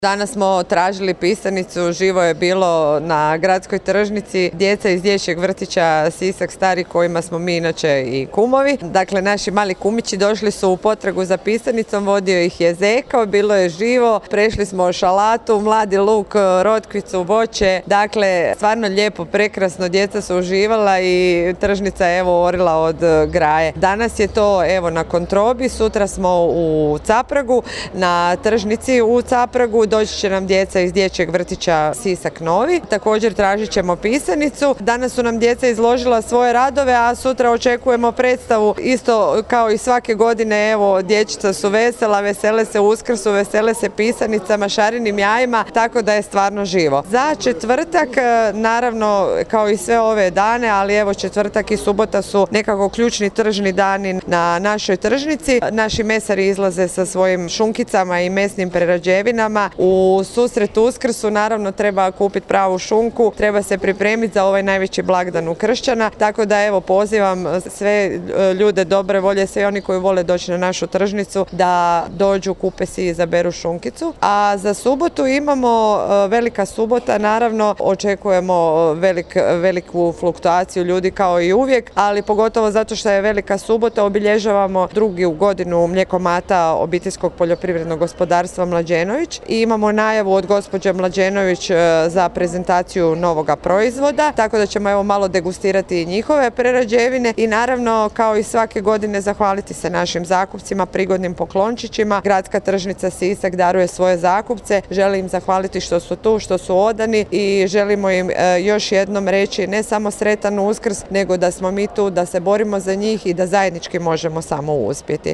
Danas smo tražili pisanicu, živo je bilo na gradskoj tržnici, djeca iz dječjeg vrtića Sisak Stari kojima smo mi inače i kumovi. Dakle, naši mali kumići došli su u potragu za pisanicom, vodio ih je zeko, bilo je živo, prešli smo šalatu, mladi luk, rotkvicu, voće, dakle, stvarno lijepo, prekrasno, djeca su uživala i tržnica je evo orila od graje. Danas je to evo na Kontrobi, sutra smo u Capragu, na tržnici u Capragu, doći će nam djeca iz dječjeg vrtića Sisak Novi. Također tražit ćemo pisanicu. Danas su nam djeca izložila svoje radove, a sutra očekujemo predstavu. Isto kao i svake godine, evo, dječica su vesela, vesele se Uskrsu, vesele se pisanicama, šarenim jajima, tako da je stvarno živo. Za četvrtak, naravno, kao i sve ove dane, ali evo četvrtak i subota su nekako ključni tržni dani na našoj tržnici. Naši mesari izlaze sa svojim šunkicama i mesnim prerađevinama. U susret Uskrsu naravno treba kupiti pravu šunku, treba se pripremiti za ovaj najveći blagdan u Kršćana, tako da evo pozivam sve ljude dobre volje, sve oni koji vole doći na našu tržnicu da dođu, kupe si i izaberu šunkicu. A za subotu imamo velika subota, naravno očekujemo veliku fluktuaciju ljudi kao i uvijek, ali pogotovo zato što je velika subota obilježavamo drugu godinu mlijekomata obiteljskog poljoprivrednog gospodarstva Mlađenović i imamo najavu od gospođe Mlađenović za prezentaciju novoga proizvoda, tako da ćemo evo malo degustirati i njihove prerađevine i naravno kao i svake godine zahvaliti se našim zakupcima, prigodnim poklončićima. Gradska tržnica Sisak daruje svoje zakupce, želim im zahvaliti što su tu, što su odani i želimo im još jednom reći ne samo sretan Uskrs, nego da smo mi tu, da se borimo za njih i da zajednički možemo samo uspjeti.